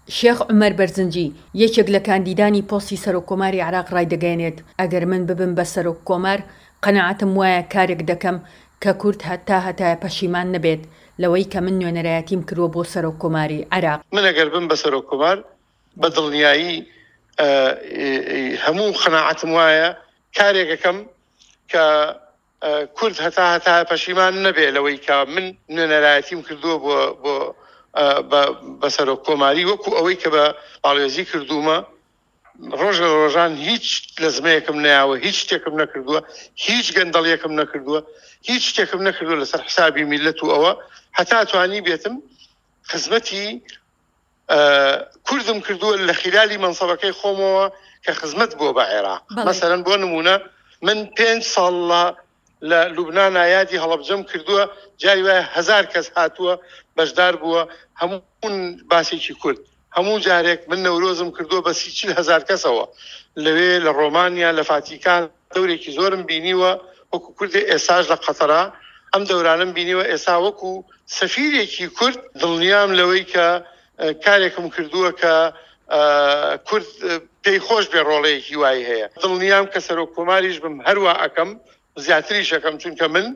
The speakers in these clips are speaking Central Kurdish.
شێخ عومەر بەرزنجی، یەکێک لە کاندیدانی پۆستی سەرۆککۆماری عێراق ڕایدەگەیەنێت، ئەگەر من ببم بە سەرۆککۆمار، قەناعەتم وایە کارێک دەکەم کە کورد هەتا هەتایە پەشیمان نەبێت لەوەی کە من نوێنەرایەتیم کردووە بۆ سەرۆککۆماری عێراق. من ئەگەر بم بە سەرۆککۆمار، بە دڵنیایی هەموو قەناعەتم وایە کارێک ئەکەم کە کورد هەتا هەتایە پەشیمان نەبێ لەوەی کە من نوێنەرایەتیم کردووە بۆ بۆ بە سەرۆک کۆماری وەکو ئەوەی کە بە باڵێزی کردوومە ڕۆژ لە ڕۆژان هیچ لەزمەیەکم نەیاوە هیچ شتێکم نەکردووە هیچ گەندەڵیەکم نەکردووە هیچ شتێکم نەکردووە لەسەر حسابی میلەت و ئەوە هەتا توانی بێتم خزمەتی کوردم کردووە لە خیلالی مەنسەبەکەی خۆمەوە کە خزمەت بووە بە عێراق مەسەرەن بۆ نمونە من پێنج ساڵ لە لە لوبنانا یادی هەڵەبجەم کردووە جاری وایە هەزار کەس هاتووە بەشدار بووە هەموو باسێکی کورد هەموو جارێک من نەورۆزم کردووە بە سی هزار کەسەوە لەوێ لە ڕۆمانیا لە فاتیکان دەورێکی زۆرم بینیوە وەکو کوردێ ئێساش لە قەتەرا ئەم دەورانەم بینیوە ئێسا وەکو سەفیرێکی کورد دڵنیام لەوەی کە کارێکم کردووە کە کورد پێی خۆش بێ ڕۆڵەیەکی وای هەیە دڵنیام کە سەرۆک کۆماریش بم هەروا ئەکەم زیاتریش ئەکەم چونکە من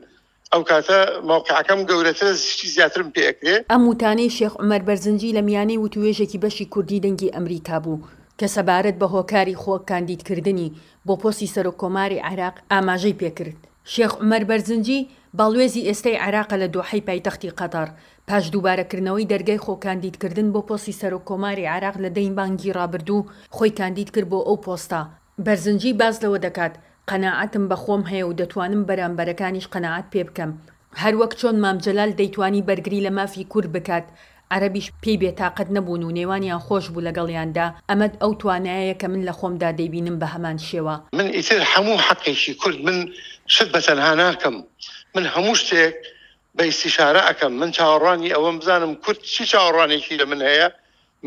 ئەو کاتە مەوقعەکەم گەورەترە شتی زیاترم پێ ئەکرێ. ئەم وتانەی شێخ عومەر بەرزنجی لە میانەی وتووێژێکی بەشی کوردی دەنگی ئەمریکا بوو کە سەبارەت بە هۆکاری خۆ کاندیدکردنی بۆ پۆستی سەرۆک کۆماری عێراق ئاماژەی پێکرد. شێخ عومەر بەرزنجی باڵوێزی ئێستەی عێراقە لە دۆحەی پایتەختی قەتەڕ، پاش دووبارەکردنەوەی دەرگای خۆ کاندیدکردن بۆ پۆستی سەرۆک کۆماری عێراق لە دەی مانگی ڕابردوو خۆی کاندید کرد بۆ ئەو پۆستە. بەرزنجی باس لەوە دەکات، قەناعەتم بە خۆم هەیە و دەتوانم بەرامبەرەکانیش قەناعەت پێ بکەم. هەروەک چۆن مام جەلال دەیتوانی بەرگری لە مافی کورد بکات، عەرەبیش پێی بێتاقەت نەبوون و نێوانیان خۆش بوو لەگەڵیاندا، ئەمە ئەو توانایەیە کە من لە خۆمدا دەیبینم بە هەمان شێوە. من ئیتر هەموو حەقێکی کورد من شت بە تەنها ناکەم، من هەموو شتێک بە ئیستیشارە ئەکەم، من چاوەڕوانی ئەوەم بزانم کورد چی چاوەڕوانێکی لە من هەیە،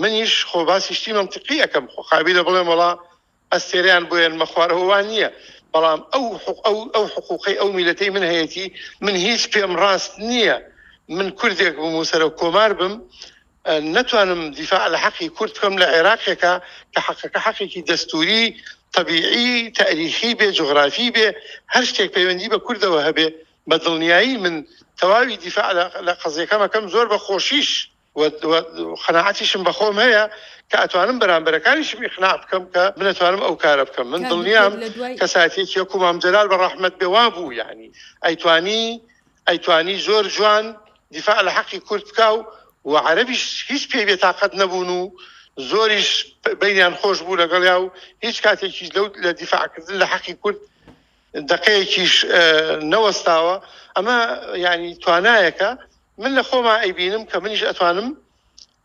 منیش خۆ باسی شتی مەنتیقی ئەکەم، خۆ قابیلە بڵێم وەڵا ئەستێرەیان بۆ یەنمە خوارەوە وا نییە، بەڵام ئەو ئەو ئەو حقوقەی ئەو میلەتەی من هەیەتی من هیچ پێم ڕاست نییە من کوردێک بم و سەرۆک کۆمار بم نەتوانم دیفاع لە حەقی کورد بکەم لە عێراقێکا کە حەقەکە حەقێکی دەستووری تەبیعی تاریخی بێ جوغرافی بێ هەر شتێک پەیوەندی بە کوردەوە هەبێ بە دڵنیایی من تەواوی دیفاع لە قەزیەکەم ئەکەم زۆر بە خۆشیش و قەناعەتیشم بە خۆم هەیە کە ئەتوانم بەرامبەرەکانیشم ئیقناع بکەم کە من ئەتوانم ئەو کارە بکەم من دڵنیام کەسایەتیەکی وەکو مام جەلال بە ڕەحمەت بێ وابوو یعنی ئەیتوانی ئەیتوانی زۆر جوان دیفاع لە حەقی کورد بکا و و عەرەبیش هیچ پێی بێتاقەت نەبوون و زۆریش بینیان خۆش بوو لەگەڵیا و هیچ کاتێکیش لەو لە دیفاعکردن لە حەقی کورد دقەیەکیش نەوەستاوە ئەمە یعنی توانایەکە من لە خۆما ئەیبینم کە منیش ئەتوانم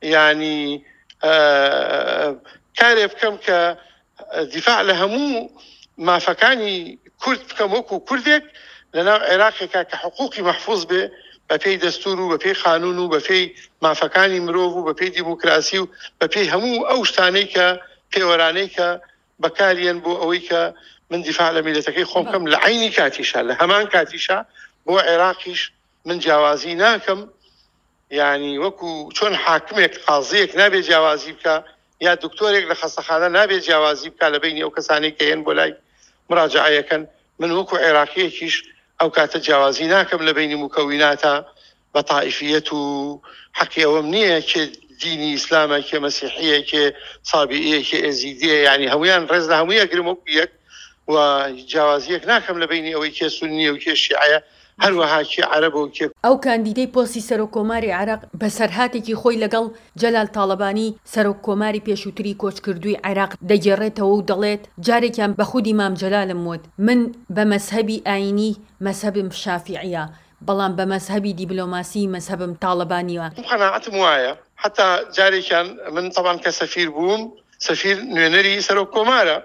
یانی کارێ بکەم کە دیفاع لە هەموو مافەکانی کورد بکەم وەکو کوردێک لەناو عێراقێکا کە حقوقی مەحفوز بێ بەپێی دەستور و بەپێی قانون و بەپێی مافەکانی مرۆڤ و بەپێی دیموکراسی و بەپێی هەموو ئەو شتانەی کە پێوەرانەی کە بەکاریەن بۆ ئەوەی کە من دیفاع لە میلەتەکەی خۆم بکەم لە عینی کاتیشا لە هەمان کاتیشا بۆ عێراقیش من جیاوازی ناکەم یانی وەکو چۆن حاکمێک قازیەک نابێ جیاوازی بکە یا دکتۆرێک لە خەستەخانە نابێ جیاوازی بکە لە بینی ئەو کەسانەی کە هێن بۆ لای مراجعەیەکەن من وەکو عێراقیەکیش ئەو کاتە جیاوازی ناکەم لە بینی مکەویناتە بە تائیفیەت و حەقی ئەوەم نییە کێ دینی ئیسلامە کێ مەسیحیە کێ سابیئیە کێ ئێزیدیە یعنی هەمویان ڕێز لە هەمووی ئەگرم وەکو یەک و جیاوازیەک ناکەم لە بینی ئەوەی کێ سونیە و کێ شیعەیە هەروەها کێ عەرەبە و کێ ئەو کاندیدەی پۆستی سەرۆک کۆماری عێراق بەسەرهاتێکی خۆی لەگەڵ جەلال تاڵەبانی سەرۆک کۆماری پێشووتری کۆچکردووی عێراق دەگێڕێتەوە و دەڵێت جارێکیان بە خودی مام جەلالم وت من بە مەزهەبی ئایینی مەزهەبم شافیعیە بەڵام بە مەزهەبی دیبلۆماسی مەزهەبم تاڵەبانیە. من قەناعەتم وایە حەتا جارێکیان من تەبعەن کە سەفیر بووم سەفیر نوێنەری سەرۆک کۆمارە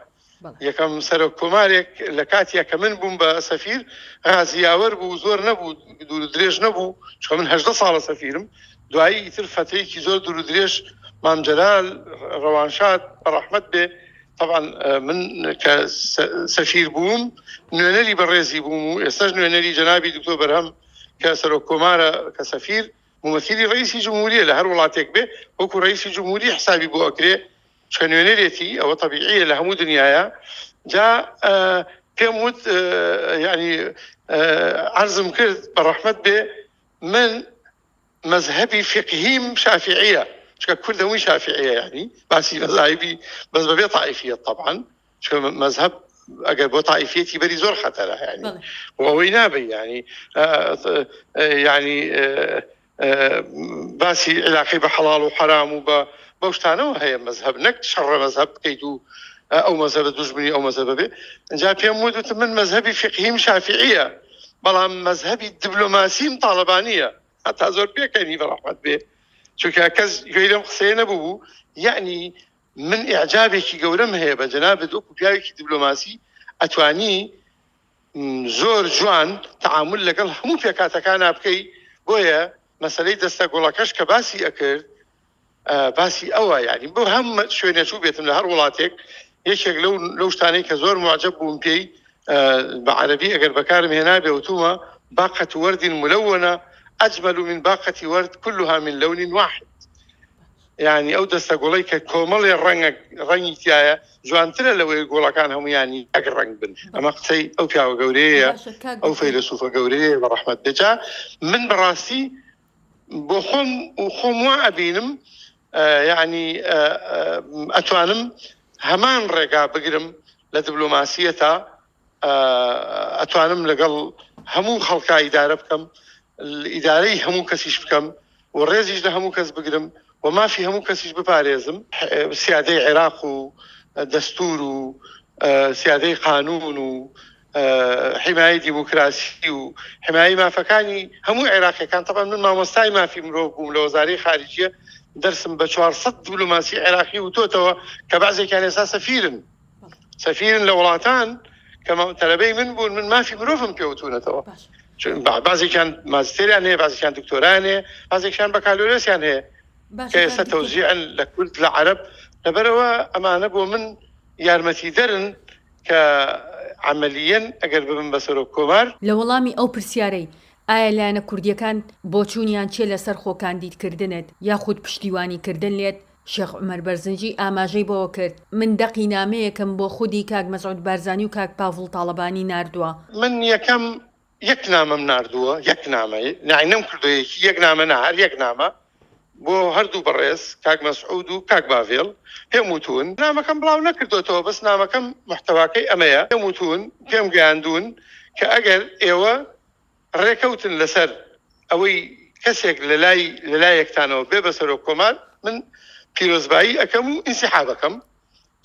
یەکەم سەرۆک کۆمارێک لە کاتیا کە من بووم بە سەفیر غازی یاوەر بوو زۆر نەبوو دوور و درێژ نەبوو چونکە من 18 ساڵە سەفیرم دوایی ئیتر فەترەیەکی زۆر دوور و درێژ مام جەلال ڕەوانشاد بە ڕەحمەت بێ طبعا من کە سەفیر بووم نوێنەری بەڕێزی بووم و ئێستاش نوێنەری جەنابی دکتۆر بەرهەم کە سەرۆک کۆمارە کە سەفیر. مومەسیلی ڕئیسی جمهوریە لە هەر وڵاتێک بێ وەکو ڕئیسی جمهوری حسابی بۆ ئەکرێ چکە نوێنەرێتی ئەوە تەبیعیە لە هەموو دنیاە جا پێم وت یعنی عەرزم کرد بە ڕەحمەت بێ من مەزهەبی فقهیم شافعیە چکە کورد هەمووی شافعیە یعنی باسی مەزاهبی بەس بەبێ تائیفیەت طبعا چکە مەزهەب ئەگەر بۆ تائیفیەتی بەری زۆر خەتەرە یعنی ئەوەی نابێ یعنی یعنی باسی علاقەی بە حەڵاڵ و حەرام و بە بەو شتانەوە هەیە مەزهەب نەک شەڕە مەزهەب بکەیت و ئەو مەزهەبە دوژمنی ئەو مەزهەبە بێ ئینجا پێم وت وتم من مەزهەبی فیقهیم شافعیە بەڵام مەزهەبی دبلۆماسیم تاڵەبانیە هەتا زۆر پێکەنی بە ڕەحمەت بێ چونکە کەس گوێی لەم قسەیە نەبوو بوو یعنی من ئیعجابێکی گەورەم هەیە بە جەنابت وەکو پیاوێکی دبلۆماسی ئەتوانی زۆر جوان تەعامول لەگەڵ هەموو پێکهاتەکانا بکەی بۆیە مەسەلەی دەستە گوڵەکەش کە باسی ئەکرد باسی ئەوە یعنی بۆ هەم شوێنێ چوو بێتم لە هەر وڵاتێک یەکێک لەو لەو شتانەی کە زۆر معجب بووم پێی بە عەرەبی ئەگەر بەکارم هێنابێ وتومە باقة ورد ملونة أجمل من باقة ورد كلها من لون واحد یانی ئەو دەستە گوڵەی کە کۆمەڵێ ڕەنگە ڕەنگی تایە جوانترە لەوەی گوڵەکان هەمویانی یەک ڕەنگ بن ئەمە قسەی ئەو پیاوە گەورەیە ئەو فەیلەسوفە گەورەیە بە ڕەحمەت بێجا من بەڕاستی بۆ خۆم و خۆم وا ئەبینم یعنی ئەتوانم هەمان ڕێگا بگرم لە دبلۆماسیەتا ئەتوانم لەگەڵ هەموو خەڵکا ئیدارە بکەم ئیدارەی هەموو کەسیش بکەم و ڕێزیش لە هەموو کەس بگرم و مافی هەموو کەسیش بپارێزم سیادەی عێراق و دەستور و سیادەی قانون و حمایەی دیموکراسی و حمایەی مافەکانی هەموو عێراقیەکان تەبعەن من مامۆستای مافی مرۆڤ بووم لە وەزارەی خارجیە دەرسم بە 400 دیبلۆماسی عێراقی وتۆتەوە کە بەعزێکیان ئێستا سەفیرن سەفیرن لە وڵاتان کە تەلەبەی من بوون من مافی مرۆڤم پێوتونەتەوە بازێکیان ماجستێریان هەیە بازێکیان دکتۆرایان هەیە بازێکیان بەکالۆریۆسیان هەیە کە ئێستا تەوزیعن لە کورد لە عەرەب لەبەرەوە ئەمانە بۆ من یارمەتیدەرن کە عەمەلیەن ئەگەر ببم بە سەرۆک کۆمار. لە وەڵامی ئەو پرسیارەی ئایا لایەنە کوردییەکان بۆچوونیان چیە لەسەر خۆکاندیدکردنت یاخود پشتیوانیکردن لێت، شێخ عومەر بەرزنجی ئاماژەی بەوەکرد، من دەقی نامەیەکم بۆ خودی کاک مەسعود بارزانی و کاک پاڤڵ تاڵەبانی ناردووە. من یەکەم یەک نامەم ناردووە، یەک نامە، یەعنی نەمکردووە یەکی، یەک نامە نا، هەر یەک نامە بۆ هەردوو بەڕێز کاک مەسعود و کاک باڤێڵ پێم وتوون، نامەکەم بڵاو نەکردۆتەوە، بەس نامەکەم موحتەواکەی ئەمەیە، پێم وتوون، پێم گەیاندوون کە ئەگەر ئێوە ڕێکەوتن لەسەر ئەوەی کەسێک لەلای لەلایەکتانەوە بێ بە سەرۆک کۆمار، من پیرۆزبایی ئەکەم و ئینسیحاب ئەکەم،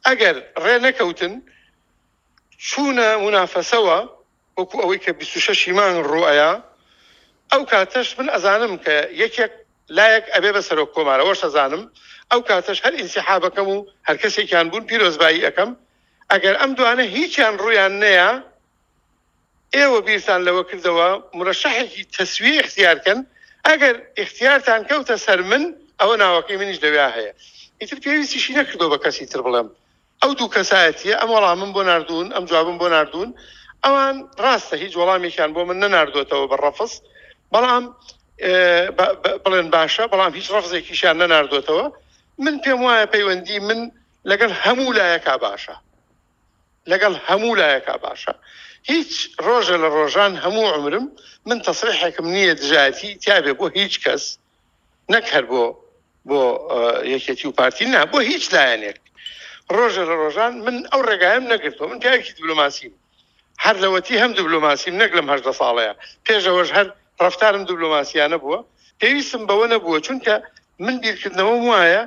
ئەگەر ڕێ نەکەوتن چوونە مونافەسەوە وەکو ئەوەی کە 26 ی مانگ ڕووئەیا ئەو کاتەش من ئەزانم کە یەکێک لایەک ئەبێ بە سەرۆک کۆمار ئەوەش ئەزانم ئەو کاتەش هەر ئینسیحابەکەم و هەر کەسێکیان بوون پیرۆزبایی ئەکەم ئەگەر ئەم دوانە هیچیان ڕوویان نەیا ئێوە بیرتان لەوە کردەوە مرەشەحێکی تەسویە ئیختیار کەن ئەگەر ئیختیارتان کەوتە سەر من ئەوە ناوەکەی منیش لەویا هەیە ئیتر پێویستیشی نەکردەوە بە کەسی تر بڵێم ئەو دوو کەسایەتیە ئەم وەڵامم بۆ ناردوون، ئەم جوابم بۆ ناردوون، ئەوان ڕاستە هیچ وەڵامێکیان بۆ من نەناردووەتەوە بە ڕەفز، بەڵام بڵێن باشە، بەڵام هیچ ڕەفزێکیشیان نەناردووەتەوە. من پێم وایە پەیوەندی من لەگەڵ هەموو لایەکا باشە، لەگەڵ هەموو لایەکا باشە. هیچ ڕۆژە لە ڕۆژان هەموو عومرم من تەسریحێکم نییە دژایەتی تیابێ بۆ هیچ کەس، نەک هەر بۆ بۆ یەکێتی و پارتی نا بۆ هیچ لایەنێک ڕۆژە لە ڕۆژان من ئەو ڕێگایم نەگرتووە من پیاوێکی دیبلۆماسیم هەر لەوەتی هەم دیبلۆماسیم نەک لەم هەژدە ساڵەیە پێشەوەش هەر ڕەفتارم دیبلۆماسیانە بووە پێویستم بەوە نەبووە چونکە من بیرکردنەوەم وایە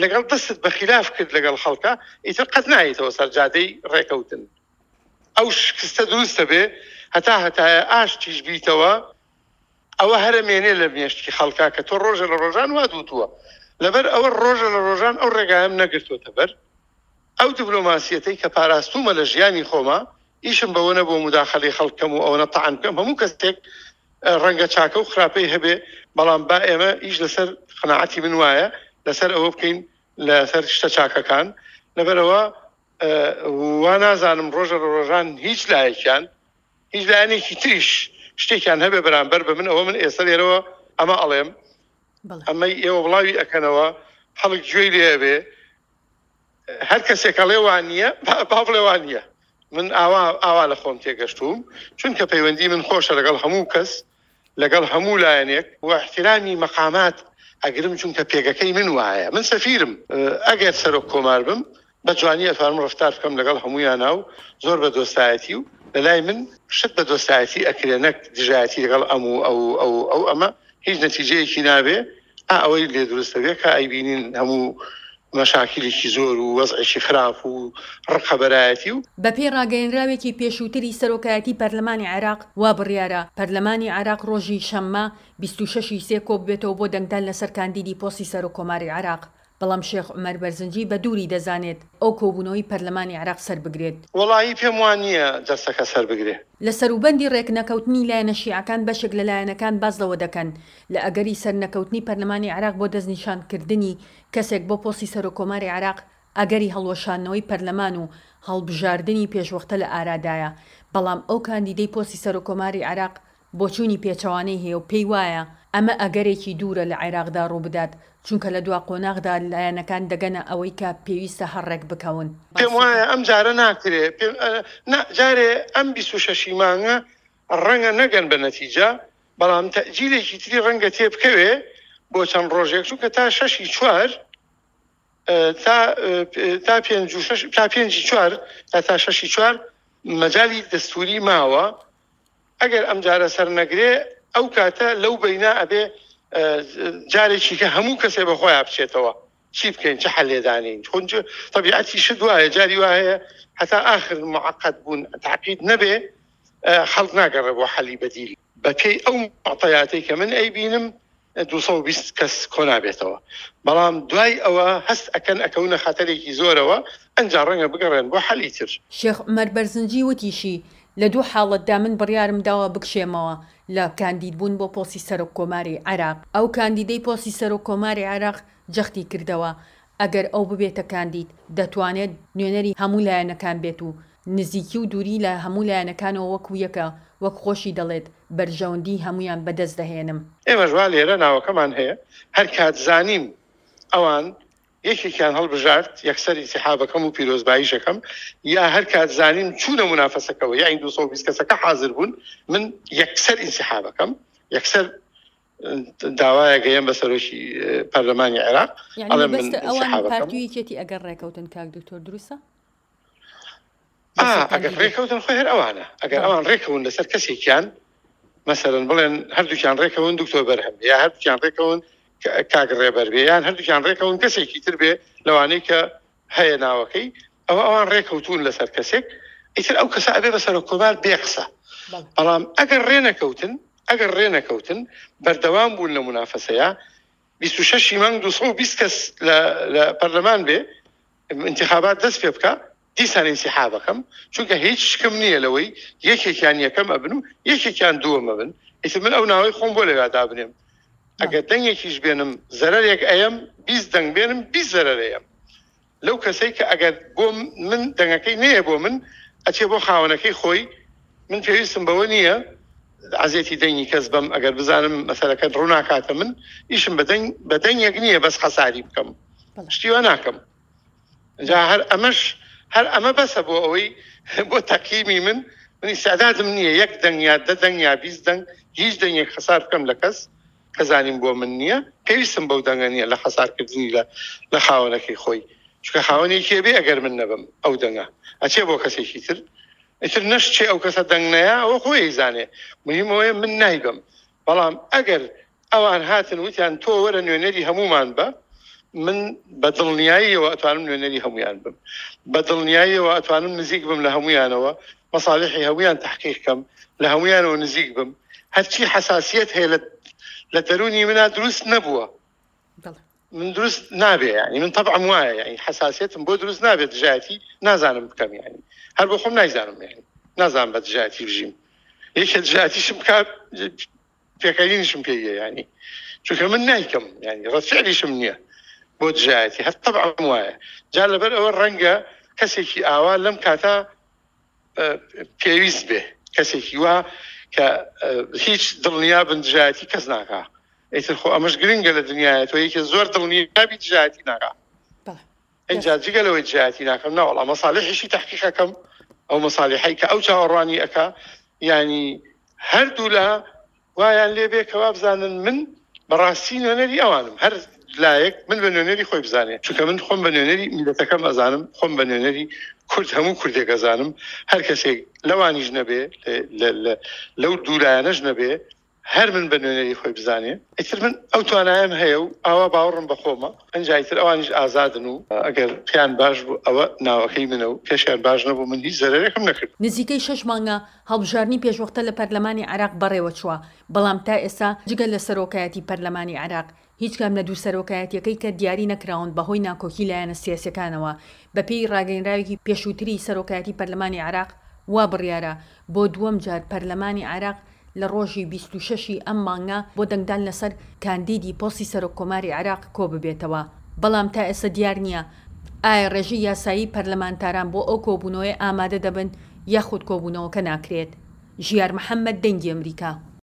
لەگەڵ دەستت بە خیلاف کرد لەگەڵ خەڵکە ئیتر قەت نایەتەوە سەر جادەی ڕێکەوتن ئەو شکستە دروستە بێ هەتا هەتایە ئاشتیش بیتەوە ئەوە هەر ئەمێنێ لە مێشکی خەڵکا کە تۆ ڕۆژێ لە ڕۆژان وات وتووە. لەبەر ئەوە ڕۆژێ لە ڕۆژان ئەو ڕێگایەم نەگرتۆتە بەر. ئەو دبلۆماسیەتەی کە پاراستوومە لە ژیانی خۆما، ئیشم بەوە نەبووە موداخەلەی خەڵک کەم و ئەوەنە تەعن بکەم. هەموو کەسێک ڕەنگە چاکە و خراپەی هەبێ، بەڵام با ئێمە ئیش لەسەر قەناعەتی من وایە لەسەر ئەوە بکەین لەسەر شتە چاکەکان. لەبەرئەوە وا نازانم ڕۆژە لە ڕۆژان هیچ لایەکیان هیچ لایەنێکی تریش شتێکیان هەبێ بەرامبەر بە من ئەوە من ئێستا لێرەوە ئەمە ئەڵێم. ئەمەی ئێوە بڵاوی ئەکەنەوە خەڵک گوێی لێ ئەبێ هەر کەسێک ئەڵێ وا نییە با بڵێ وا نییە من ئاوا ئاوا لە خۆم تێگەشتووم چونکە پەیوەندی من خۆشە لەگەڵ هەموو کەس لەگەڵ هەموو لایەنێک و احترامی مەقامات ئەگرم چونکە پێگەکەی من وایە من سەفیرم ئەگەر سەرۆک کۆمار بم بە جوانی ئەتوانم ڕەفتار بکەم لەگەڵ هەموویانا و زۆر بە دۆستایەتی و لەلای من شت بە دۆستایەتی ئەکرێ نەک دژایەتی لەگەڵ ئەم و ئەو و ئەو و ئەو ئەمە هیچ نەتیجەیەکی نابێ ئا ئەوەی لێ دروست ئەبێ کە ئەیبینین هەموو مەشاکیلێکی زۆر و وەزعێکی خراپ و ڕقەبەرایەتی و. بەپێی ڕاگەیەنراوێکی پێشووتری سەرۆکایەتی پەرلەمانی عێراق، وا بڕیارە پەرلەمانی عێراق ڕۆژی شەممە 26 ی سێ کۆببێتەوە بۆ دەنگدان لەسەر کاندیدی پۆستی سەرۆککۆماری عێراق. بەڵام شێخ عومەر بەرزنجی بە دووری دەزانێت ئەو کۆبوونەوەی پەرلەمانی عێراق سەربگرێت. وەڵایی پێم وا نییە جەلسەکە سەربگرێ. لە سەروبەندی رێکنەکەوتنی لایەنە شیعەکان بەشێک لە لایەنەکان باس لەوە دەکەن لە ئەگەری سەرنەکەوتنی پەرلەمانی عێراق بۆ دەستنیشانکردنی کەسێک بۆ پۆستی سەرۆککۆماری عێراق ئەگەری هەڵوەشاندنەوەی پەرلەمان و هەڵبژاردنی پێشوەختە لە ئارادایە بەڵام ئەو کاندیدەی پۆستی سەرۆککۆماری عێراق بۆچوونی پێچەوانەی هەیە و پێی وایە ئەمە ئەگەرێکی دوورە لە عێراقدا ڕووبدات، چونکە لە دوا قۆناغدا لایەنەکان دەگەنە ئەوەی کە پێویستە هەر ڕێکبکەون. پێم وایە ئەم جارە ناکرێ، پێم نا جارێ ئەم 26 ی مانگە ڕەنگە نەگەن بە نەتیجە، بەڵام تەئجیلێکی تری ڕەنگە تێبکەوێ بۆ چەند ڕۆژێک، چونکە تا شەشی چوار تا تا پێنج و شەش تا پێنجی چوار تا تا شەشی چوار مەجالی دەستووری ماوە، ئەگەر ئەم جارە سەر نەگرێ ئەو کاتە لەو بەینا ئەبێ جارێکی کە هەموو کەسێ بە خۆیان بچێتەوە چی بکەین چ حەلێ دانێین خۆ تەبیعەتی شت وایە جاری وا هەیە هەتا ئاخر معقد بوون تعقید نەبێ خەڵک ناگەڕێ بۆ حەلی بەدیل بەپێی ئەو معطیاتەی کە من ئەیبینم 220 کەس کۆنابێتەوە بەڵام دوای ئەوە هەست ئەکەن ئەکەونە خەتەرێکی زۆرەوە ئەنجا ڕەنگە بگەڕێن بۆ حەلی تر. شێخ عومەر بەرزنجی وتیشی، لە دوو حاڵەتدا من بڕیارم داوە بکشێمەوە لە کاندیدبوون بۆ پۆستی سەرۆک کۆماری عێراق. ئەو کاندیدەی پۆستی سەرۆک کۆماری عێراق جەختی کردەوە، ئەگەر ئەو ببێتە کاندید دەتوانێت نوێنەری هەموو لایەنەکان بێت و نزیکی و دووری لە هەموو لایەنەکانەوە وەکو یەکە، وەک خۆشی دەڵێت بەرژەوەندیی هەموویان بەدەست دەهێنم. ئێمەش وا لێرە ناوەکەمان هەیە، هەر کات زانیم ئەوان یەکێکیان هەڵبژارد یەکسەر ئینسیحابەکەم و پیرۆزباییش ئەکەم، یا هەر کات زانیم چوونە مونافەسەکەوە یەعنی 220 کەسەکە حازر بوون من یەکسەر ئینسیحابەکەم، یەکسەر داوایەک ئەیەم بە سەرۆکی پەرلەمانی عێراق یەعنی ئەڵێم من مەبەستە ئەوان ئینسیحابەکەم. پارتی و یەکێتی ئەگەر ڕێکەوتن کاک دکتۆر دروستە؟ ئا لەسەر ئەگەر کاندیدێک ڕێکەوتن خۆی هەر ئەوانە ئەگەر بەڵێ ئەوان ڕێکەون لەسەر کەسێکیان مەسەلەن بڵێن هەردووکیان ڕێکەون دکتۆر بەرهەم بێ یا هەردووکیان ڕێکەون کاک ڕێبەر بێ یان هەردووکیان ڕێکەون کەسێکی تر بێ لەوانەی کە هەیە ناوەکەی ئەوە ئەوان ڕێکەوتون لەسەر کەسێک ئیتر ئەو کەسە ئەبێ بە سەرۆک کۆمار بێ قسە بەڵێ بەڵام ئەگەر ڕێ نەکەوتن ئەگەر ڕێ نەکەوتن بەردەوام بوون لە مونافەسەیە 26 ی مانگ 220 کەس لە لە پەرلەمان بێ ئینتیخابات دەست پێ بکا دیسان ئینسیحاب ئەکەم چونکە هیچ شکم نییە لەوەی یەکێکیان یەکەم ئەبن و یەکێکیان دووەم ئەبن ئیتر من ئەو ناوەی خۆم بۆ لەویا دابنێم ئەگەر دەنگێکیش بێنم زەرەرێک ئەیەم 20 دەنگ بێنم 20 زەرەر ئەیەم لەو کەسەی کە ئەگەر بۆ من دەنگەکەی نەیە بۆ من ئەچێ بۆ خاوەنەکەی خۆی من پێویستم بەوە نییە عەزێتی دەنگی کەس بەم ئەگەر بزانم مەسەلەکە ڕووناکاتە من ئیشم بە دەنگ بە دەنگێک نییە بەس خەساری بکەم شتی وا ناکەم جا هەر ئەمەش هەر ئەمە بەسە بۆ ئەوەی بۆ تەقیمی من من ئیستعدادم نییە یەک دەنگ یا دە دەنگ یا 20 دەنگ هیچ دەنگێک خەسار بکەم لە کەس کە زانیم بۆ من نییە پێویستم بەو دەنگە نییە لە خەسارکردنی لە لە خاوەنەکەی خۆی چونکە خاوەنێکی بێ ئەگەر من نەبم ئەو دەنگە ئەچێ بۆ کەسێکی تر ئیتر نەشچێ ئەو کەسە دەنگ نەیا ئەوە خۆی ئەیزانێ مهم ئەوەیە من نایبەم بەڵام ئەگەر ئەوان هاتن وتیان تۆ وەرە نوێنەری هەموومان بە من بە دڵنیاییەوە ئەتوانم نوێنەری هەمویان بم بە دڵنیاییەوە ئەتوانم نزیک بم لە هەمویانەوە مەساڵحی هەمویان تحقیق کەم لە هەمویانەوە نزیک بم هەرچی حساسیت هەیە لە دەرونی منا دروست نەبووە من دروست نابێ یعنی من تەبعم وایە یعنی حساسیەتم بۆ دروست نابێت دژایەتی نازانم بکەم یعنی هەر بۆ خۆم نایزانم یعنی نازانم بە دژایەتی بژیم یەکێ دژایەتیشم بکات پێکەنینیشم پێ یە یعنی چونکە من نایکەم یعنی ڕەتفعلیشم نییە بۆ دژایەتی هەر تەبعم وایە جا لەبەر ئەوە ڕەنگە کەسێکی ئاوا لەم کاتە پێویست بێ کەسێکی وا کە هیچ دڵنیا بن دژایەتی کەس ناکا. ئیتر خۆ ئەمەش گرنگە لە دنیایە تۆ یەکێ زۆر دڵنیابی دژایەتی ناکا. ئینجا جگە لەوەی دژایەتی ناکەم نەوەڵا مەسالیحیشی تەحقیق ئەکەم ئەو مەسالیحەی کە ئەو چاوەڕوانی ئەکا یانی هەردوولا وایان لێ بێ کە وابزانن من بەڕاستی نوێنەری ئەوانم هەر لایەک من بە نوێنەری خۆی بزانێ چونکە من خۆم بە نوێنەری میلەتەکەم ئەزانم خۆم بە نوێنەری کورد هەموو کوردێک ئەزانم هەر کەسێک لەوانیش نەبێ لەو دوولایەنەش نەبێ هەر من بە نوێنەری خۆی بزانێ ئیتر من ئەو توانایەم هەیە و ئاوا باوەڕم بە خۆمە ئەنجا ئیتر ئەوانیش ئازادن و ئەگەر پێیان باش بوو ئەوە ناوەکەی منە و پێشیان باش نەبوو من هیچ زەرەرێکم نەکرد. نزیکەی شەش مانگە هەڵبژاردنی پێشوەختە لە پەرلەمانی عێراق بەڕێوەچووە، بەڵام تا ئێستا جگە لە سەرۆکایەتی پەرلەمانی عێراق هیچ کام لە دوو سەرۆکایەتیەکەی کە دیاری نەکراون بەهۆی ناکۆکی لایەنە سیاسیەکانەوە، بەپێی ڕاگەینراوێکی پێشووتری سەرۆکایەتی پەرلەمانی عێراق وا بڕیارە بۆ دووەم جار پەرلەمانی عێراق لە ڕۆژی 26 ی ئەم مانگە بۆ دەنگدان لەسەر کاندیدی پۆستی سەرۆک کۆماری عێراق کۆببێتەوە، بەڵام تا ئێستا دیار نییە ئایا ڕێژەی یاسایی پەرلەمانتاران بۆ ئەو کۆبوونەوەیە ئامادە دەبن یاخود کۆبوونەوەکە ناکرێت. ژیار محەمەد، دەنگی ئەمریکا.